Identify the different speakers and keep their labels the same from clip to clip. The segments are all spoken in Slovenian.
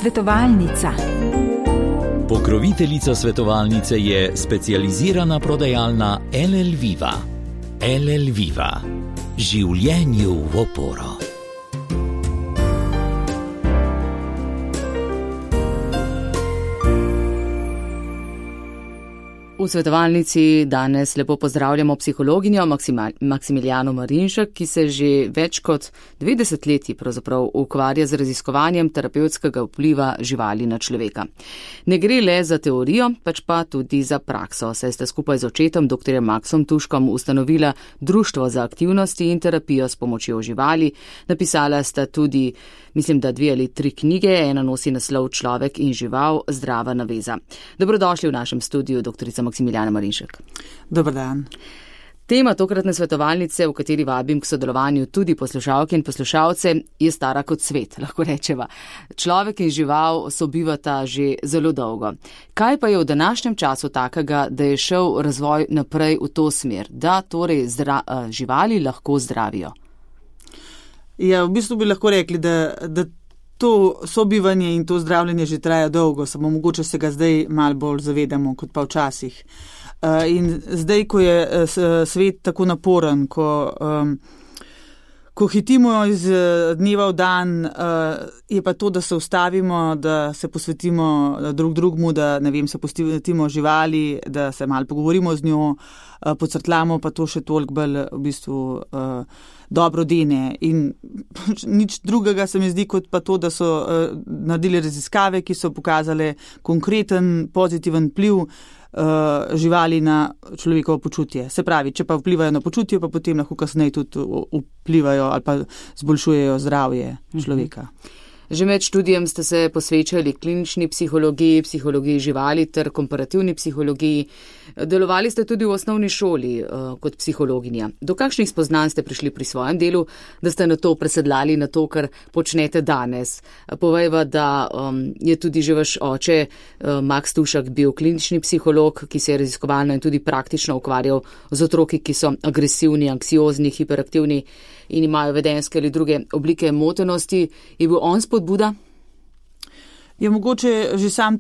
Speaker 1: Svetovalnica.
Speaker 2: Pokroviteljica svetovalnice je specializirana prodajalna LL Viva. LL Viva. Življenju v oporo.
Speaker 3: V svetovalnici danes lepo pozdravljamo psihologinjo Maksimilijano Marinšek, ki se že več kot 2 desetletji pravzaprav ukvarja z raziskovanjem terapevtskega vpliva živali na človeka. Ne gre le za teorijo, pač pa tudi za prakso, saj sta skupaj z očetom dr. Maksom Tuškom ustanovila Društvo za aktivnosti in terapijo s pomočjo živali. Napisala sta tudi, mislim, da 2 ali 3 knjige, ena nosi naslov Človek in žival, zdrava naveza. Dobrodošli v našem studiu, doktorica Maksimilijana Marinšek.
Speaker 4: Dobar dan.
Speaker 3: Tema tokratne svetovalnice, v kateri vabim k sodelovanju tudi poslušalke in poslušalce, je stara kot svet, lahko rečeva. Človek in žival sobivata že zelo dolgo. Kaj pa je v današnjem času takega, da je šel razvoj naprej v to smer, da torej živali lahko zdravijo?
Speaker 4: Ja, v bistvu bi lahko rekli, da to sobivanje in to zdravljenje že traja dolgo, samo mogoče se ga zdaj malo bolj zavedamo kot pa včasih. In zdaj, ko je svet tako naporen, ko hitimo iz dneva v dan, je pa to, da se ustavimo, da se posvetimo drug drugmu, da se posvetimo živali, da se malo pogovorimo z njo, pocrtlamo, pa to še toliko bolj v bistvu dobro dene. In nič drugega se mi zdi, kot pa to, da so naredili raziskave, ki so pokazale konkreten pozitiven vpliv živali na človekovo počutje. Se pravi, če pa vplivajo na počutje, pa potem lahko kasneje tudi vplivajo ali pa zboljšujejo zdravje človeka.
Speaker 3: Že med študijem ste se posvečali klinični psihologiji, psihologiji živali ter komparativni psihologiji. Delovali ste tudi v osnovni šoli kot psihologinja. Do kakšnih spoznanj ste prišli pri svojem delu, da ste na to presedlali, na to, kar počnete danes? Povejva, da je tudi že vaš oče, Maks Tušek, bil klinični psiholog, ki se je raziskovalno in tudi praktično ukvarjal z otroki, ki so agresivni, anksiozni, hiperaktivni in imajo vedenjske ali druge oblike motenosti. Je bil on spodbuda?
Speaker 4: Je mogoče že sam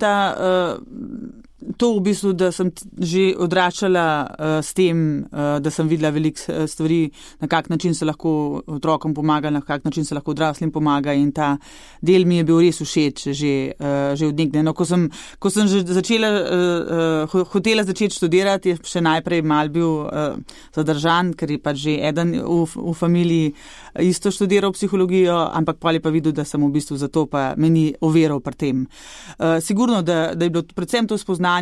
Speaker 4: to v bistvu, da sem že odraščala s tem, da sem videla veliko stvari, na kak način se lahko otrokom pomaga, na kak način se lahko odraslim pomaga, in ta del mi je bil res všeč že od nekdaj. No, ko sem že hotela začeti študirati, je še najprej mal bil zadržan, ker je pač že eden v familiji isto študiral psihologijo, ampak pol je pa videl, da sem v bistvu zato pa meni overal pri tem. Sigurno, da je bilo predvsem to spoznanje,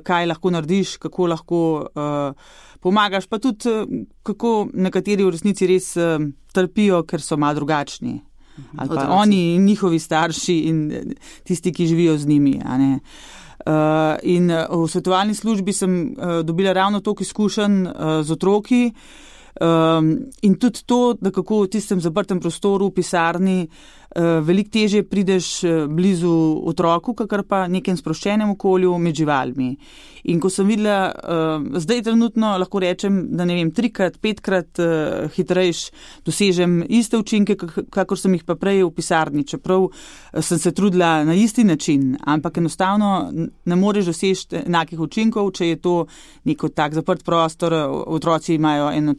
Speaker 4: kaj lahko narediš, kako lahko pomagaš, pa tudi kako nekateri v resnici res trpijo, ker so malo drugačni. Ali pa oni in njihovi starši in tisti, ki živijo z njimi. In v svetovalni službi sem dobila ravno toliko izkušenj z otroki, in tudi to, da kako v tistem zaprtem prostoru v pisarni veliko težje prideš blizu otroku, kakor pa nekem sproščenem okolju med živalmi. In ko sem videla, zdaj trenutno lahko rečem, da 3-krat, 5-krat hitrejš dosežem iste učinke, kakor sem jih pa prej v pisarni, čeprav sem se trudila na isti način, ampak enostavno ne moreš doseči enakih učinkov, če je to neko tak zaprt prostor, otroci imajo en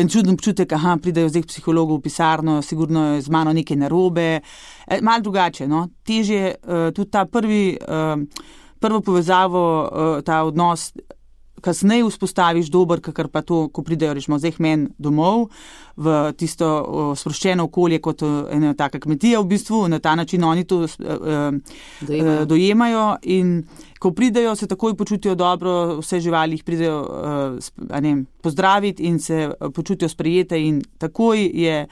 Speaker 4: čuden občutek, pridejo zdaj k psihologu v pisarno, sigurno je z mano nekaj narobe, malo drugače, no, težje tudi ta prvo povezavo, ta odnos kasneje vzpostaviš dober, kakor pa to, ko pridejo, rečemo, zdaj men domov, v tisto sproščeno okolje kot ena taka kmetija v bistvu, na ta način oni to dojemajo in ko pridejo, se takoj počutijo dobro, vse živali jih pridejo pozdraviti in se počutijo sprejete in takoj je,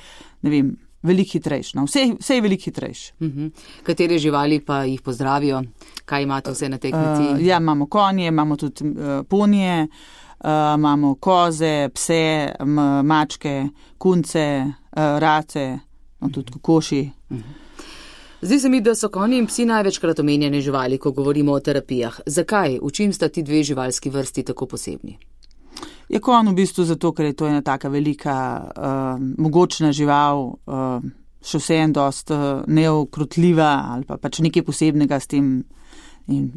Speaker 4: veliko hitrejš. No. Vse je veliko hitrejš.
Speaker 3: Katere živali pa jih pozdravijo? Kaj imate vse na tej kmetiji?
Speaker 4: Ja, imamo konje, imamo tudi ponije, imamo koze, pse, mačke, kunce, race, tudi kokoši.
Speaker 3: Zdi se mi, da so konji in psi največkrat omenjene živali, ko govorimo o terapijah. Zakaj? V čim sta ti 2 živalski vrsti tako posebni?
Speaker 4: Je konj v bistvu zato, ker je to ena taka velika, mogočna žival, še vseeno dost neokrotljiva ali pa pač nekaj posebnega s tem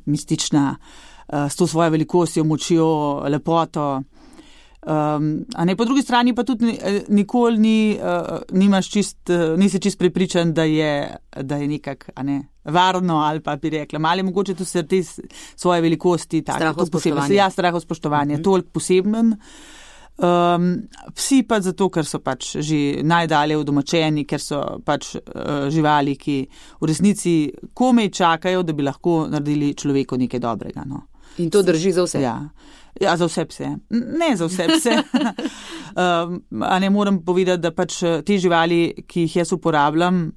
Speaker 4: mistična, s to svojo velikostjo, močjo, lepoto. A ne, po drugi strani pa tudi nikoli nisi čist prepričan, da je nekak, a ne, varno ali pa bi rekla, ali mogoče tudi se te svoje velikosti, strahospoštovanje, toliko poseben. Psi pa zato, ker so pač že najdalje udomačeni, ker so pač živali, ki v resnici komaj čakajo, da bi lahko naredili človeku nekaj dobrega. No.
Speaker 3: In to drži za vse?
Speaker 4: Ja, za vse pse. Ne za vse pse. A ne moram povedati, da pač te živali, ki jih jaz uporabljam,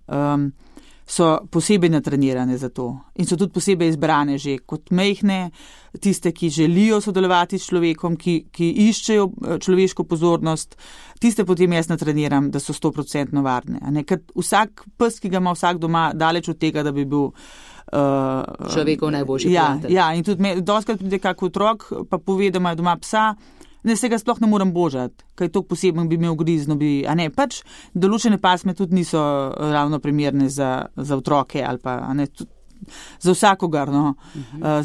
Speaker 4: so posebej natrenirane za to in so tudi posebej izbrane že kot majhne, tiste, ki želijo sodelovati s človekom, ki iščejo človeško pozornost, tiste potem jaz natreniram, da so 100% varne. A ne? Ker vsak pes, ki ga ima vsak doma, daleč od tega, da bi bil
Speaker 3: človekov najboljši prijatelj.
Speaker 4: Ja, in tudi dostikrat pride kak otrok, pa pove, da ima doma psa, ne, se ga sploh ne morem božati, kaj to posebno bi imel grizno, a ne, pač določene pasme tudi niso ravno primerne za otroke ali pa, a ne, za vsakogar, no.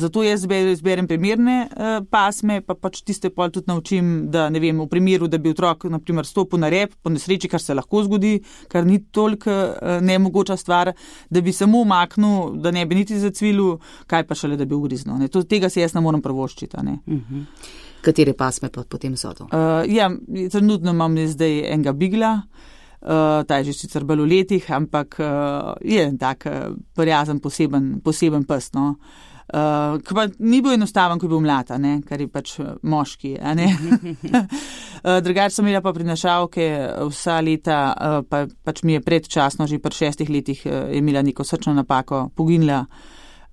Speaker 4: Zato jaz izberem primerne pasme, pa pač tiste pol tudi naučim, da ne vem, v primeru, da bi otrok, na primer, stopil na rep, po nesreči, kar se lahko zgodi, kar ni toliko nemogoča stvar, da bi samo umaknil, da ne bi niti zacvilil, kaj pa šele, da bi ugriznil, ne. Tega se jaz ne morem prvoščiti, a ne.
Speaker 3: Katere pasme pa potem so to?
Speaker 4: Ja, trenutno imam zdaj enega bigla, ta je že sicer bolj v letih, ampak je tak prijazen poseben pes, no. Ki pa ni bil enostaven, ko je bil mlad, a ne, kar je pač moški, a ne. Drugače sem imela pa prinašalke vsa leta, pač mi je predčasno, že pri 6 letih je imela neko srčno napako, poginila.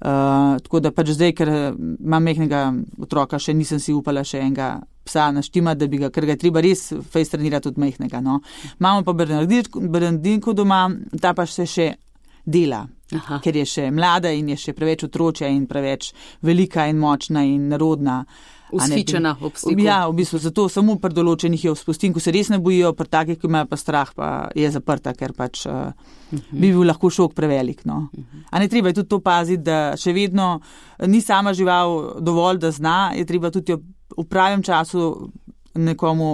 Speaker 4: Tako da pač zdaj, ker imam majhnega otroka, še nisem si upala še enega psa naštimati, ker ga je treba res fejs trenirati od majhnega. No. Imamo pa Bernardinko doma, ta pa še dela, ker je še mlada in je še preveč otročja in preveč velika in močna in nerodna.
Speaker 3: Ushičena ob stiku.
Speaker 4: Ja, v bistvu zato samo pri določenih jo spustim, ko se res ne bojijo, pri takih, ki imajo pa strah, pa je zaprta, ker pač bi bil lahko šok prevelik. No. A ne treba je tudi to paziti, da še vedno ni sama žival dovolj, da zna, je treba tudi v pravem času nekomu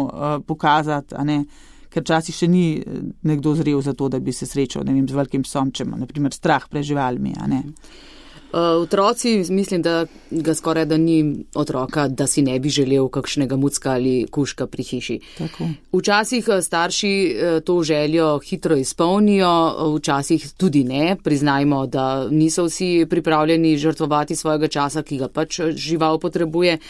Speaker 4: pokazati, a ne, ker včasih še ni nekdo zrel za to, da bi se srečal, ne vem, z velikim psom, če ima, na primer, strah pred živalmi, a ne.
Speaker 3: Otroci, mislim, da ga skoraj da ni otroka, da si ne bi želel kakšnega mucka ali kužka pri hiši.
Speaker 4: Tako.
Speaker 3: Včasih starši to željo hitro izpolnijo, včasih tudi ne. Priznajmo, da niso vsi pripravljeni žrtvovati svojega časa, ki ga pač žival potrebuje.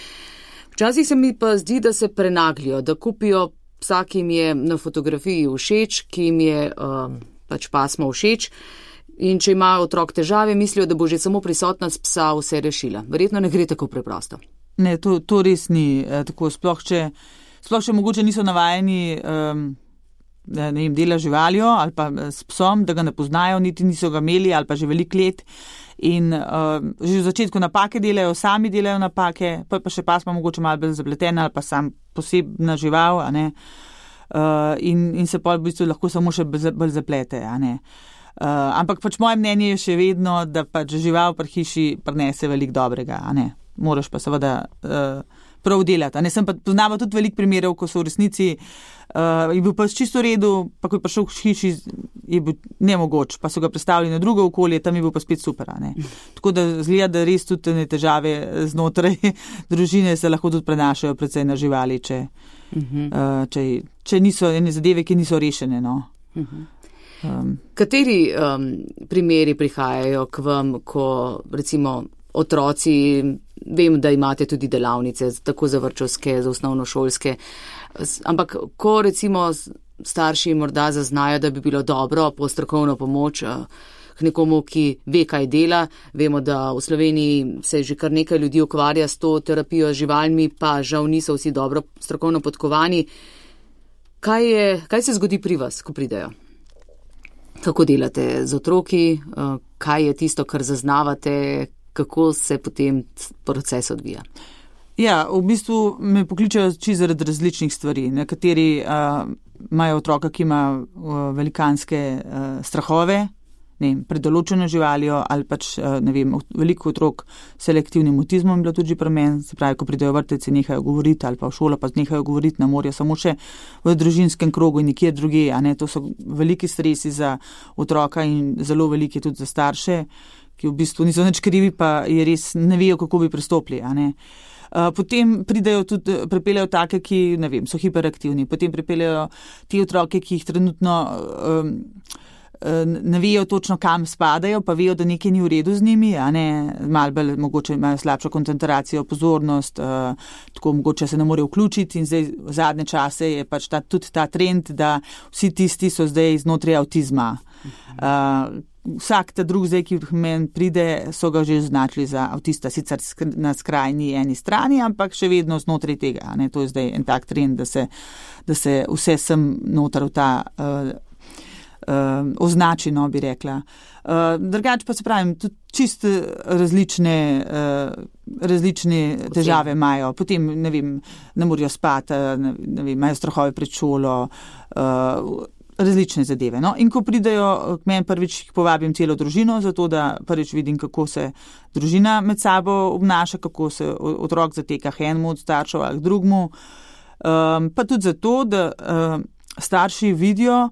Speaker 3: Včasih se mi pa zdi, da se prenaglijo, da kupijo psa, ki jim je na fotografiji všeč, ki jim je pač pasmo všeč. In če ima otrok težave, mislijo, da bo že samo prisotnost psa vse rešila. Verjetno ne gre tako preprosto.
Speaker 4: Ne, to res ni tako. Sploh če mogoče niso navajeni ne vem, dela živaljo ali pa s psom, da ga ne poznajo, niti niso ga imeli ali pa že veliko let. In že v začetku napake delajo, sami delajo napake, pa še pasma mogoče malo bolj zapletena ali pa sam posebna žival, a ne. In se pa v bistvu lahko samo še bolj zaplete, a ne. Ampak pač moje mnenje je še vedno, da pač žival pri hiši prinese veliko dobrega, a ne. Moraš pa seveda prav delati, a ne. Sem pa poznala tudi veliko primerov, ko so v resnici je bil pa čisto v redu, pa ko je prišel v hiši, je bil nemogoč, pa so ga predstavili na drugo okolje, tam je bil pa spet super, a ne. Tako da zgleda, da res tudi te težave znotraj družine se lahko tudi prenašajo predvsej na živali, če niso ene zadeve, ki niso rešene, no.
Speaker 3: Kateri primeri prihajajo k vam, ko recimo otroci, vem, da imate tudi delavnice, tako za vrtčevske, za osnovnošolske, ampak ko recimo starši morda zaznajo, da bi bilo dobro po strokovno pomoč k nekomu, ki ve, kaj dela, vemo, da v Sloveniji se že kar nekaj ljudi ukvarja s to terapijo z živalmi, pa žal niso vsi dobro strokovno podkovani. Kaj se zgodi pri vas, ko pridejo? Kako delate z otroki, kaj je tisto, kar zaznavate, kako se potem proces odvija?
Speaker 4: Ja, v bistvu me pokličajo čisto zaradi različnih stvari. Nekateri imajo otroka, ki ima velikanske strahove, pred določeno živaljo ali pač, veliko otrok s selektivnim avtizmom je bilo tudi pri meni, se pravi, ko pridejo vrteci, nehajo govoriti ali pa v šolo, pa nehajo govoriti, ne morajo samo še v družinskem krogu in nikjer drugje, to so veliki stresi za otroka in zelo veliki tudi za starše, ki v bistvu niso nič krivi, pa je res ne vejo, kako bi pristopili, Potem pripeljajo take, ki, so hiperaktivni, potem pripeljajo ti otroke, ki jih trenutno ne vejo točno, kam spadajo, pa vejo, da nekaj ni v redu z njimi, malo bolj mogoče imajo slabšo koncentracijo, pozornost, tako mogoče se ne morejo vključiti in zdaj v zadnje čase je pač tudi ta trend, da vsi tisti so zdaj znotraj avtizma. Vsak ta drug zdaj, ki meni pride, so ga že označili za avtista, sicer na skrajni eni strani, ampak še vedno znotraj tega. To je zdaj en tak trend, da se vse sem noter v ta označeno, bi rekla. Drugače pa se pravim, tudi čist različne težave imajo. Potem, ne morajo spati, imajo strahove pred šolo, različne zadeve. In ko pridejo k meni prvič, povabim celo družino, zato da prvič vidim, kako se družina med sabo obnaša, kako se otrok zateka k enemu od staršev ali k drugemu. Pa tudi zato, da starši vidijo,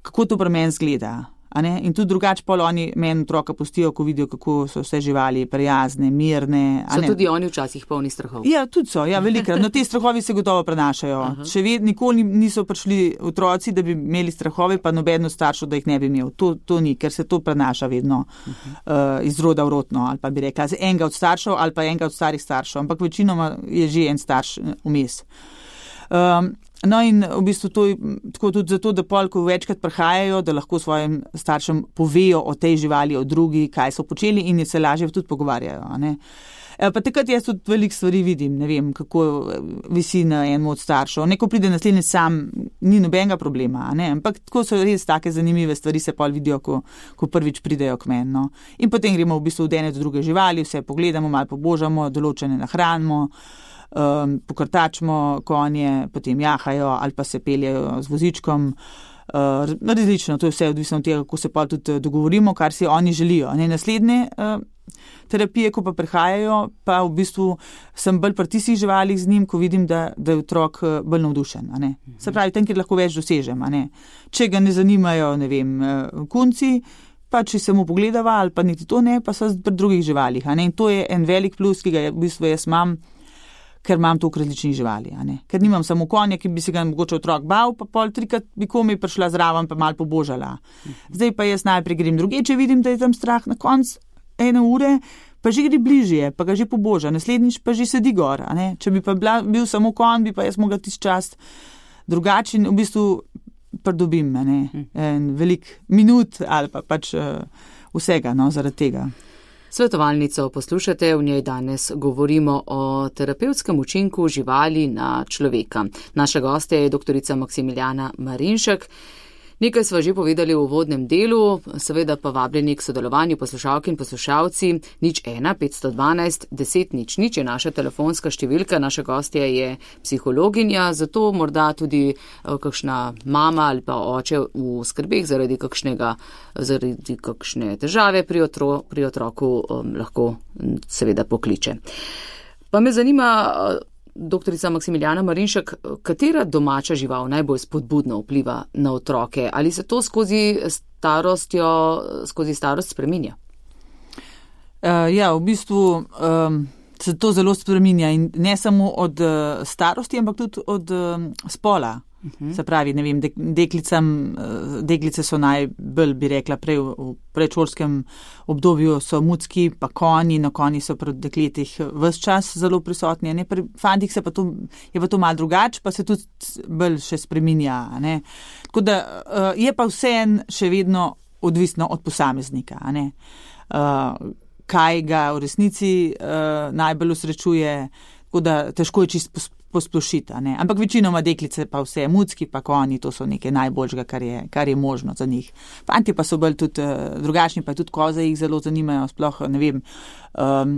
Speaker 4: kako to pri meni zgleda. In tudi drugače pol oni meni otroka pustijo, ko vidijo, kako so vse živali prijazne, mirne.
Speaker 3: So tudi oni včasih polni strahov?
Speaker 4: Ja, tudi so, velikrat. No, te strahovi se gotovo prenašajo. Še vedno nikoli niso prišli otroci, da bi imeli strahove, pa noben od staršev, da jih ne bi imel. To ni, ker se to prenaša vedno iz roda v rodno, ali pa bi rekla, z enega od staršev ali pa enega od starih staršev, ampak večinoma je že en starš vmes. In v bistvu to je tako tudi zato, da pol, ko večkrat prihajajo, da lahko svojim staršem povejo o tej živali, o drugi, kaj so počeli in se lažje tudi pogovarjajo. Pa takrat jaz tudi veliko stvari vidim, kako visi na enem od staršev. Neko pride naslednji sam, ni nobenega problema, ampak tako so res take zanimive stvari, se pol vidijo, ko prvič pridejo k meni. In potem gremo v bistvu od ene do druge živali, vse pogledamo, malo pobožamo, določene nahranimo, pokrtačimo konje, potem jahajo ali pa se peljejo z vozičkom. Različno, to je vse odvisno od tega, kako se pa tudi dogovorimo, kar si oni želijo. Naslednje terapije, ko pa prihajajo, pa v bistvu sem bolj pri tistih živalih z njim, ko vidim, da je otrok bolj navdušen. Se pravi, tam, kjer lahko več dosežem. Če ga ne zanimajo, kunci, pa če se mu pogledava ali pa niti to ne, pa so pri drugih živalih. In to je en velik plus, ki ga v bistvu jaz imam, ker imam toliko različnih živali. Ker nimam samo konja, ki bi se ga mogoče otrok bal, pa pol trikrat bi komaj prišla zraven, pa malo pobožala. Zdaj pa jaz najprej grem druge, če vidim, da je tam strah, na koncu 1 ure, pa že gre bližje, pa ga že poboža, naslednjič pa že sedi gor. Če bi pa bil samo konj, bi pa jaz mogla tisti čas drugačen, v bistvu pridobim veliko minut ali pa pač vsega zaradi tega.
Speaker 3: Svetovalnico poslušate, v njej danes govorimo o terapevtskem učinku živali na človeka. Naša gostja je doktorica Maksimiljana Marinšek. Nekaj sva že povedali v uvodnem delu, seveda pa vabljeni k sodelovanju poslušalke in poslušalci. 01 512 10 00 je naša telefonska številka, naša gostja je psihologinja, zato morda tudi kakšna mama ali pa oče v skrbeh zaradi kakšne težave pri otroku lahko seveda pokliče. Pa me zanima, doktorica Maksimiljana Marinšek, katera domača žival najbolj spodbudno vpliva na otroke? Ali se to skozi starost spreminja?
Speaker 4: V bistvu se to zelo spreminja in ne samo od starosti, ampak tudi od spola. Se pravi, deklice so najbolj, bi rekla, prej v predšolskem obdobju so mucki, pa konji, konji so pri dekletih ves čas zelo prisotni, pri fantih je pa to malo drugače, pa se tudi bolj še spreminja. Tako da je pa vseeno še vedno odvisno od posameznika. Kaj ga v resnici najbolj osrečuje, tako da težko je čisto posplošiti, ampak večinoma deklice pa vse, mucki pa konji, to so nekaj najboljšega, kar je možno za njih. Fanti pa so bolj tudi drugačni, pa tudi koze jih zelo zanimajo, sploh ne vem,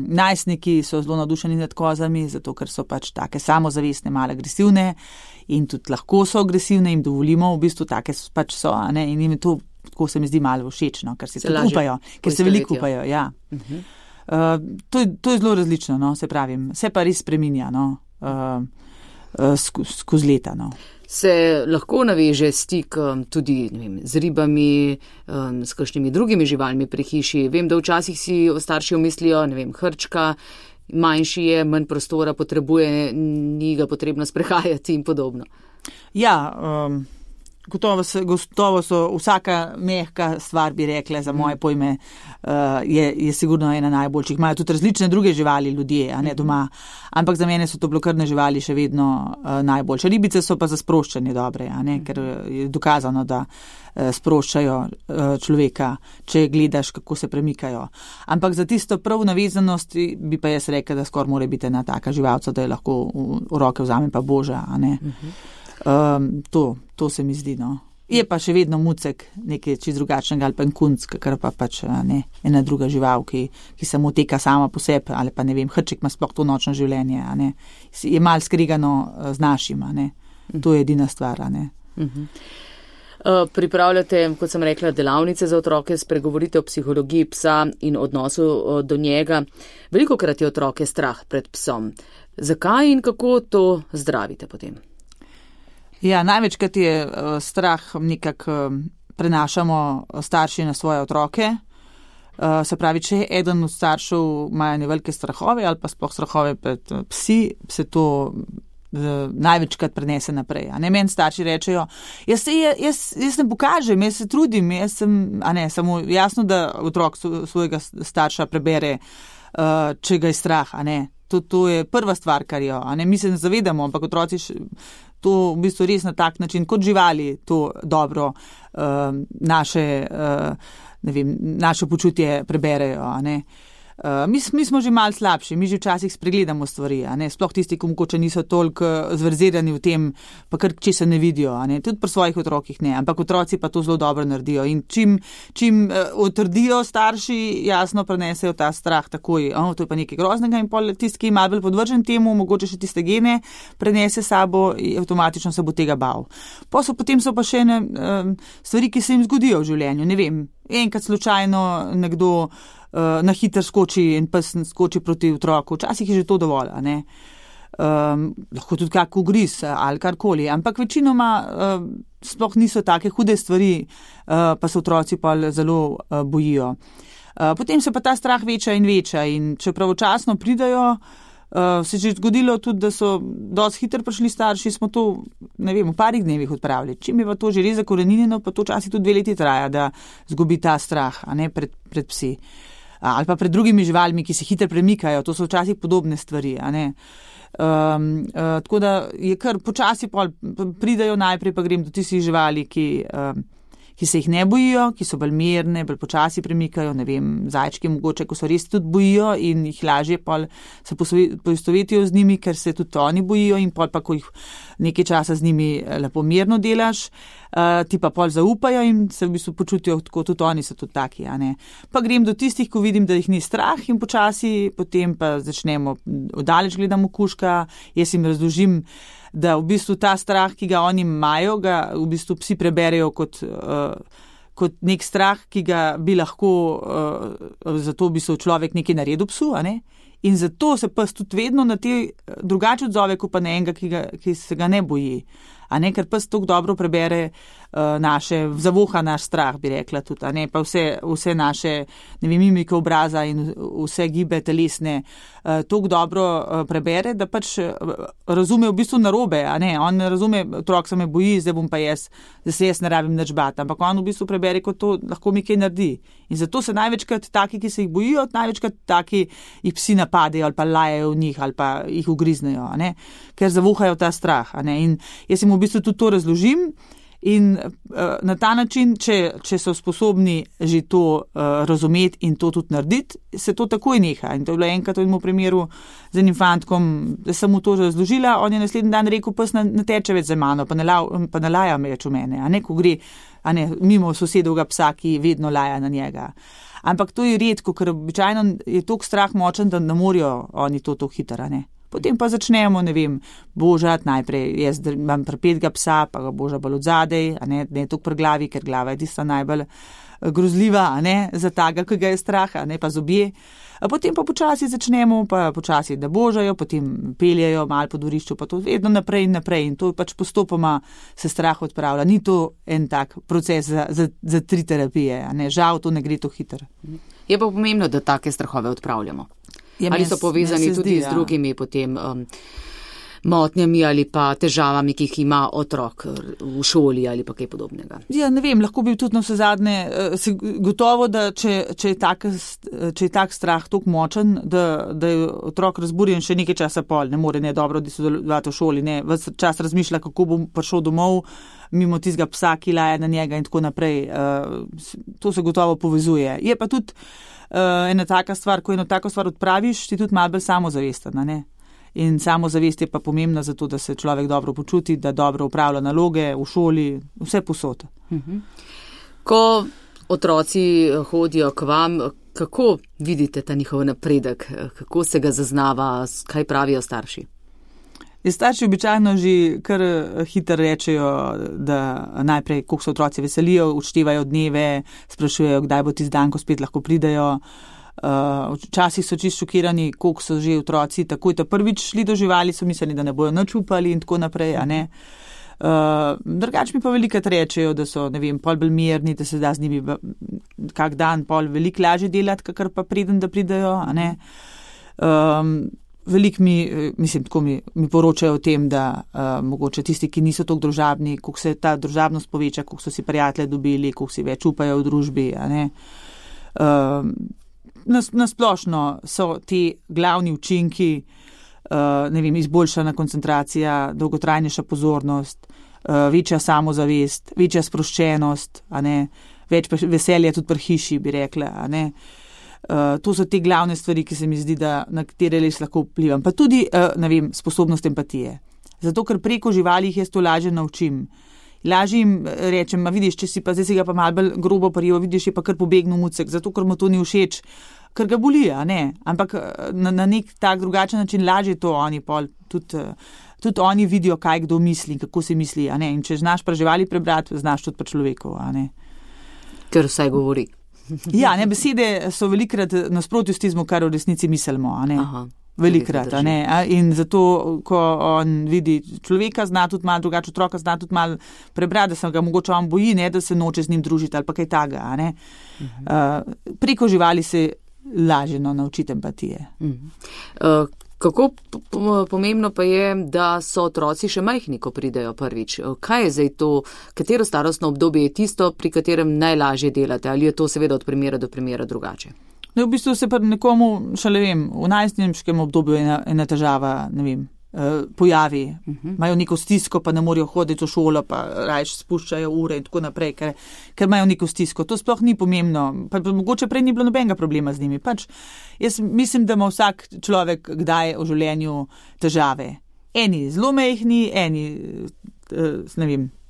Speaker 4: najstniki so zelo navdušeni nad kozami, zato ker so pač take samozavestne, malo agresivne in tudi lahko so agresivne, jim dovolimo, v bistvu take pač so, in jim je to, tako se mi zdi, malo všečno, ker se tudi upajo, ker se veliko upajo, ja. To je zelo različno, no, se pravim, se pa res spreminja, no. Skozi leta. No.
Speaker 3: Se lahko naveže stik tudi ne vem, z ribami, s kakšnimi drugimi živalmi pri hiši. Vem, da včasih si starši omislijo, ne vem, hrčka, manjši je, manj prostora potrebuje, ni ga potrebno sprehajati in podobno.
Speaker 4: Ja, gotovo so vsaka mehka stvar, bi rekla, za moje pojme, je sigurno ena najboljših. Imajo tudi različne druge živali ljudje, a ne doma, ampak za mene so to blokrne živali še vedno najboljše. Ribice so pa za sproščanje dobre, a ne, ker je dokazano, da sproščajo človeka, če gledaš, kako se premikajo. Ampak za tisto prav navezanost bi pa jaz rekla, da skoraj mora biti ena taka živalca, da je lahko v roke vzame pa boža, a ne. To se mi zdi, no. Je pa še vedno mucek nekaj čist drugačnega ali pa en kunc, kar pa pač ne, ena druga žival, ki samo teka sama po sebi, ali pa ne vem, hrček ima sploh to nočno življenje, a ne. Je mal skrigano z našim, a ne. To je edina stvar, a ne.
Speaker 3: Pripravljate, kot sem rekla, delavnice za otroke, spregovorite o psihologiji psa in odnosu do njega. Velikokrat je otroke strah pred psom. Zakaj in kako to zdravite potem?
Speaker 4: Ja, največkrat je strah nekako prenašamo starši na svoje otroke. Se pravi, če eden od staršev ima velike strahove ali pa sploh strahove pred psi, se to največkrat prenese naprej. A ne, meni starši rečejo, jaz ne pokažem, jaz se trudim, samo jasno, da otrok svojega starša prebere, če ga je strah, a ne. To je prva stvar, kar jo, a ne, mi se ne zavedamo, ampak otroci to v bistvu res na tak način, kot živali, to dobro naše počutje preberejo, a ne. Mi smo že malo slabši, mi že včasih spregledamo stvari, a ne, sploh tisti, ki mogoče niso toliko zverzirani v tem, pa kar česa ne vidijo, a ne, tudi pri svojih otrokih ne, ampak otroci pa to zelo dobro naredijo in čim utrdijo starši, jasno prenesejo ta strah takoj, to je pa nekaj groznega in pol tisti, ki je malo bolj podvržen temu, mogoče še tiste gene prenese sabo in avtomatično se bo tega bal. Potem so pa še stvari, ki se jim zgodijo v življenju, ne vem, enkrat slučajno nekdo na hiter skoči in pes skoči proti otroku. Včasih je že to dovolj, a ne. Lahko tudi kak ugriz ali karkoli, ampak večinoma sploh niso take hude stvari, pa se otroci pa zelo bojijo. Potem se pa ta strah veča in če pravočasno pridajo, se je že zgodilo tudi, da so dosti hitro prišli starši, smo to, ne vem, v parih dnevih odpravili. Čim je pa to že res zakoreninjeno, pa to včasih tudi 2 leti traja, da zgubi ta strah, a ne, pred psi. Ali pa pred drugimi živalmi, ki se hitro premikajo, to so včasih podobne stvari, a ne. Tako da je kar počasi pridajo najprej, pa grem do tistih živali, ki se jih ne bojijo, ki so bolj mirne, bolj počasi premikajo, ne vem, zajčki mogoče, ko so res tudi bojijo in jih lažje se poistovetijo z njimi, ker se tudi oni bojijo in pa ko jih nekaj časa z njimi lepo mirno delaš, ti pa zaupajo in se v bistvu počutijo tako, tudi oni so tudi taki, a ne. Pa grem do tistih, ko vidim, da jih ni strah in počasi, potem pa začnemo, oddaleč gledamo kužka, jaz jim razložim, da v bistvu ta strah, ki ga oni imajo, ga v bistvu psi preberejo kot nek strah, ki ga bi lahko, zato bi se človek nekaj naredil psu, a ne? In zato se pes tudi vedno na te drugače odzove, kot pa na enega, ki se ga ne boji. A ne, ker pes tako dobro prebere zavoha naš strah, bi rekla tudi, a ne, pa vse naše, ne vem, mimike obraza in vse gibe telesne tako dobro prebere, da pač razume v bistvu narobe, a ne, on ne razume, otrok se me boji, zdaj bom pa jaz ne rabim nič bati, ampak on v bistvu prebere, kot to lahko mi kaj naredi. In zato se največkrat taki, ki se jih bojijo, največkrat taki jih psi napadejo ali pa lajajo v njih ali pa jih ugriznejo, a ne, ker zavohajo ta strah, a ne, in jaz jim v bistvu tudi to razložim In na ta način, če so sposobni že to razumeti in to tudi narediti, se to takoj neha. In to je bilo enkrat v enem primeru z enim fantkom, da sem mu to že razložila, on je naslednji dan rekel, pes ne teče več za mano, pa ne laja več v mene, a ne, ko gre mimo sosedovega psa, ki vedno laja na njega. Ampak to je redko, ker običajno je toliko strah močen, da ne morajo oni to hitro, ne. Potem pa začnemo, božati najprej, jaz imam prepetega psa, pa ga boža bolj od zadej, ne toliko pri glavi, ker glava je tista najbolj grozljiva, za taga, ki ga je strah, pa zobje. Potem pa počasi začnemo, pa počasi, da božajo, potem peljejo malo po dvorišču, pa to vedno naprej in naprej in to pač postopoma se strah odpravlja. Ni to en tak proces za 3 terapije, žal to ne gre to hitro.
Speaker 3: Je pa pomembno, da take strahove odpravljamo. Ali so povezani tudi z drugimi potem motnjami ali pa težavami, ki jih ima otrok v šoli ali pa kaj podobnega?
Speaker 4: Ja, ne vem, lahko bi tudi na vse zadnje, gotovo, da če je tak strah toliko močen, da je otrok razburjen še nekaj časa pol, ne more dobro sodelovati v šoli, ves čas razmišlja, kako bo prišel domov mimo tistega psa, ki laja na njega in tako naprej. To se gotovo povezuje. Je pa tudi ena taka stvar, ko eno tako stvar odpraviš, ti tudi malo bolj samozavesten, ne? In samozavest je pa pomembna zato, da se človek dobro počuti, da dobro upravlja naloge v šoli, vse posod.
Speaker 3: Ko otroci hodijo k vam, kako vidite ta njihov napredek, kako se ga zaznava, kaj pravijo starši?
Speaker 4: Starši običajno že kar hitro rečejo, da najprej, koliko se otroci veselijo, odštevajo dneve, sprašujejo, kdaj bo tisti dan, ko spet lahko pridejo. Včasih so čisto šokirani, koliko so že otroci takoj prvič šli do živali, so mislili, da ne bojo nič upali in tako naprej, Drugač mi pa velikrat rečejo, da so, pol bolj mirni, da se da z njimi kak dan pol veliko lažje delati, kakor pa preden, da pridejo, Veliko mi poročajo o tem, da mogoče tisti, ki niso toliko družabni, koliko se ta družabnost poveča, koliko so si prijatelje dobili, koliko si več upajo v družbi, Na splošno so ti glavni učinki, izboljšana koncentracija, dolgotrajnejša pozornost, večja samozavest, večja sproščenost, več veselja tudi pri hiši, bi rekla, To so te glavne stvari, ki se mi zdi, da na katere res lahko vplivam. Pa tudi, sposobnost empatije. Zato, ker preko živali jaz to lažje naučim. Lažje jim rečem, vidiš, če si pa zdaj si ga pa malo bolj grobo prijel, vidiš, je pa kar pobegnil mucek, zato, ker mu to ni všeč, ker ga boli, Ampak na nek tak drugačen način lažje to oni pol, tudi oni vidijo, kaj kdo misli, kako si misli, In če znaš pri živali prebrati, znaš tudi pri človeku,
Speaker 3: Ker vsaj govori.
Speaker 4: Ja, besede so velikrat nasprotju s tizmo, kar v resnici mislimo,
Speaker 3: Aha,
Speaker 4: velikrat, In zato, ko on vidi človeka, zna tudi malo drugače, otroka zna tudi malo prebrati, da se ga mogoče on boji, da se noče z njim družiti ali pa kaj taga, Preko živali se lažje naučiti empatije.
Speaker 3: Kako pomembno pa je, da so otroci še majhni, ko pridejo prvič? Kaj je zdaj to, katero starostno obdobje je tisto, pri katerem najlažje delate? Ali je to seveda od primera do primera drugače?
Speaker 4: V bistvu se pa nekomu, v najstniškem obdobju ena težava, pojavi. Imajo neko stisko, pa ne morejo hoditi v šolo, pa rajš spuščajo ure in tako naprej, ker imajo neko stisko. To sploh ni pomembno. Pa mogoče prej ni bilo nobenega problema z njimi. Jaz mislim, da ima vsak človek kdaj v življenju težave. Eni zelo majhni, eni,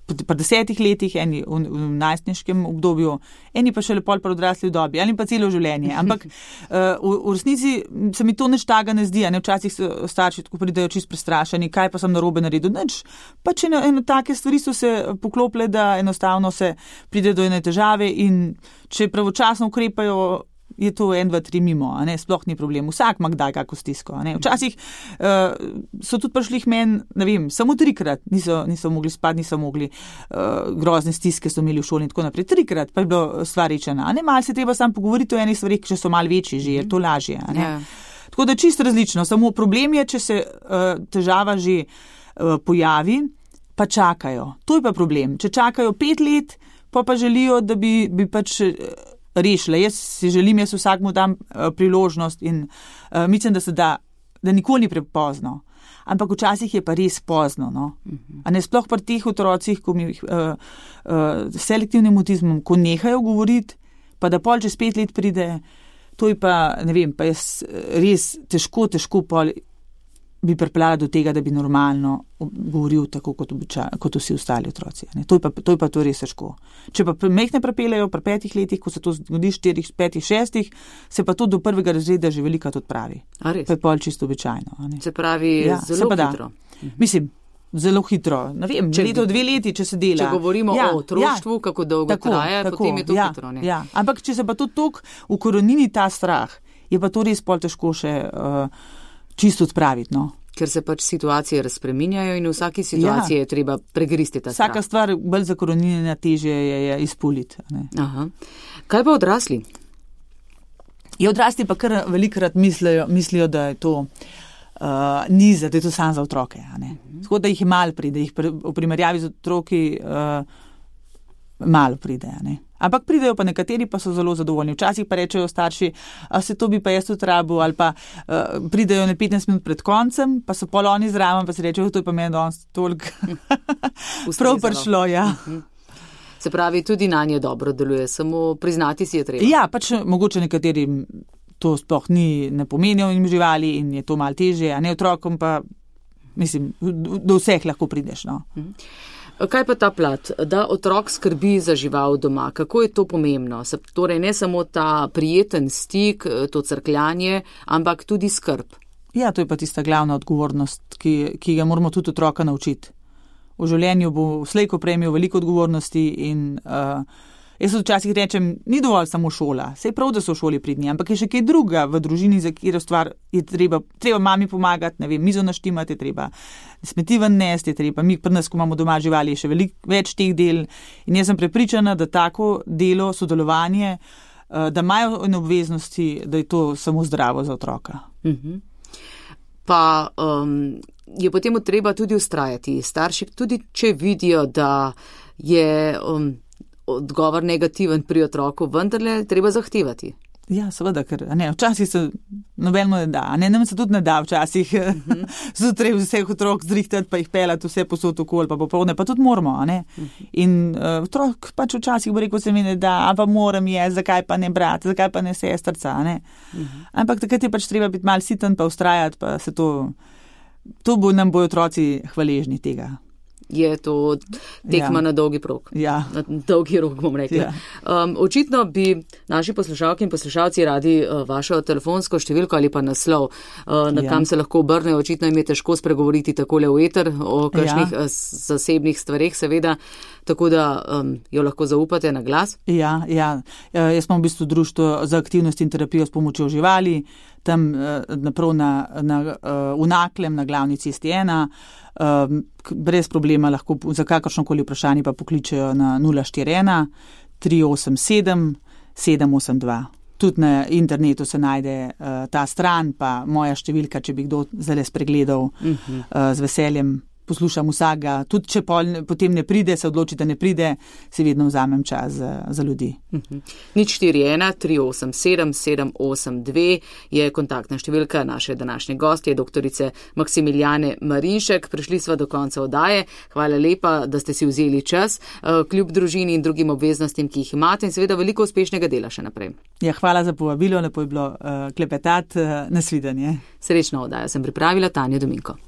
Speaker 4: pri 10 letih, eni v najstniškem obdobju, eni pa šele pol pri odrasli dobi, ali pa celo življenje. Ampak v resnici se mi to nič taga ne zdi. Včasih so starši tako pridejo čisto prestrašeni, kaj pa sem narobe naredil. Nič. Pač eno take stvari so se poklopile, da enostavno se pride do ene težave in če pravočasno ukrepajo, je to 1, 2, 3 mimo, sploh ni problem. Vsak ima kdaj kako stisko. Včasih so tudi prišli meni, samo 3-krat niso mogli spati, niso mogli, grozne stiske so imeli v šoli in tako naprej. 3-krat pa je bilo stvar rečena. Malo se treba sam pogovoriti o enih stvarih, če so malo večji že, je to lažje. Tako da čisto različno. Samo problem je, če se težava že pojavi, pa čakajo. To je pa problem. Če čakajo 5 let, pa želijo, da bi pač rešile. Jaz si želim, vsakmu dam priložnost in mislim, da nikoli ni prepozno. ampak včasih je pa res pozno. No? A ne sploh pri teh otrocih, ko mi s selektivnim avtizmom, ko nehajo govoriti, pa da pol čez 5 let pride, to je pa, ne vem, pa jaz res težko pol bi pripeljala do tega, da bi normalno govoril tako kot vsi ostali otroci. Ne? To je pa to res težko. Če pa mehne pripeljajo pri 5 letih, ko se to zgodi 4, 5, 6, se pa to do 1. razreda že velikokrat odpravi.
Speaker 3: A res?
Speaker 4: Pa je pol čisto običajno.
Speaker 3: Se pravi, zelo hitro.
Speaker 4: Mislim, zelo hitro. Ne vem, leto, 2 leti, če se dela.
Speaker 3: Če govorimo o otroštvu, kako dolgo traja, potem je to hitro. Ne?
Speaker 4: Ja. Ampak če se pa to toliko ukorenini ta strah, je pa to res pol težko še čisto odpraviti. No?
Speaker 3: Ker se pač situacije razpreminjajo in v vsaki situaciji je treba pregristi ta strah.
Speaker 4: Vsaka stvar bolj zakorenjena težje je izpuliti.
Speaker 3: Aha. Kaj pa odrasli?
Speaker 4: Odrasli pa kar velikokrat mislijo, da je to niza, da je to samo za otroke. Tako da jih malo pride, v primerjavi z otroki malo pride. Ampak pridejo pa nekateri, pa so zelo zadovoljni. Včasih pa rečejo starši, se to bi pa jaz tudi rabil, ali pa pridejo 15 minut pred koncem, pa so pol oni zraven, pa se rečejo, to je pa meni danes toliko prav prišlo. Ja.
Speaker 3: Se pravi, tudi na nje dobro deluje, samo priznati si je treba.
Speaker 4: Ja, pač mogoče nekaterim to sploh ne pomenijo in živali in je to malo težje, a ne otrokom pa, mislim, do vseh lahko prideš. No.
Speaker 3: Kaj pa ta plat, da otrok skrbi za žival doma? Kako je to pomembno? Torej ne samo ta prijeten stik, to crkljanje, ampak tudi skrb.
Speaker 4: Ja, to je pa tista glavna odgovornost, ki ga moramo tudi otroka naučiti. V življenju bo slejko prejmel veliko odgovornosti in jaz včasih rečem, ni dovolj samo šola. Sej prav, da so v šoli pridni, ampak je še kaj druga v družini, za katero stvar je treba mami pomagati, ne vem, mizo naštimati, je treba smeti ven nesti, je treba, mi pri nas, ko imamo doma živali, je še veliko več teh del in jaz sem prepričana, da tako delo, sodelovanje, da imajo obveznosti, da je to samo zdravo za otroka.
Speaker 3: Pa je potem treba tudi ustrajati. Starši, tudi če vidijo, da je odgovor negativen pri otroku, vendarle treba zahtevati.
Speaker 4: Ja, seveda, ker včasih se nobeno ne da, nam se tudi ne da včasih zjutraj vseh otrok zrihtati, pa jih pelati vse posod okoli, pa popoldne, pa tudi moramo. In otrok pač včasih bo rekel, se mi ne da, a pa moram zakaj pa ne brat, zakaj pa ne sestrca. Ampak takrat je pač treba biti malo siten, pa ustrajati, pa se to nam bojo otroci hvaležni tega.
Speaker 3: Je to tekma na dolgi prog.
Speaker 4: Ja.
Speaker 3: Na dolgi rok, bom rekla. Ja. Očitno bi naši poslušalke in poslušalci radi vašo telefonsko številko ali pa naslov, na kam se lahko obrnejo. Očitno jim je težko spregovoriti takole v eter o kakšnih zasebnih stvareh, seveda, tako da jo lahko zaupate na glas.
Speaker 4: Ja. Jaz smo v bistvu društvo za aktivnost in terapijo s pomočjo živali, tam naprav v Naklem, na glavni cesti 1. Brez problema lahko za kakršnokoli vprašanje pa pokličejo na 041 387 782. Tudi na internetu se najde ta stran, pa moja številka, če bi kdo zdaj spregledal, z veseljem poslušam vsega. Tudi če potem ne pride, se odloči, da ne pride, si vedno vzamem čas za ljudi.
Speaker 3: 041 387 782 je kontaktna številka naše današnje gostje, doktorice Maksimilijane Marinšek. Prišli sva do konca oddaje. Hvala lepa, da ste si vzeli čas, kljub družini in drugim obveznostim, ki jih imate, in seveda veliko uspešnega dela še naprej.
Speaker 4: Ja, hvala za povabilo, lepo je bilo klepetati, nasvidenje.
Speaker 3: Srečno oddajo sem pripravila Tanja Dominko.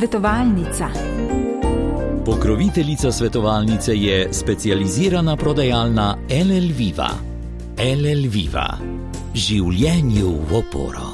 Speaker 2: Svetovalnica. Pokroviteljica svetovalnice je specializirana prodajalna LL Viva. LL Viva. Življenju v oporo.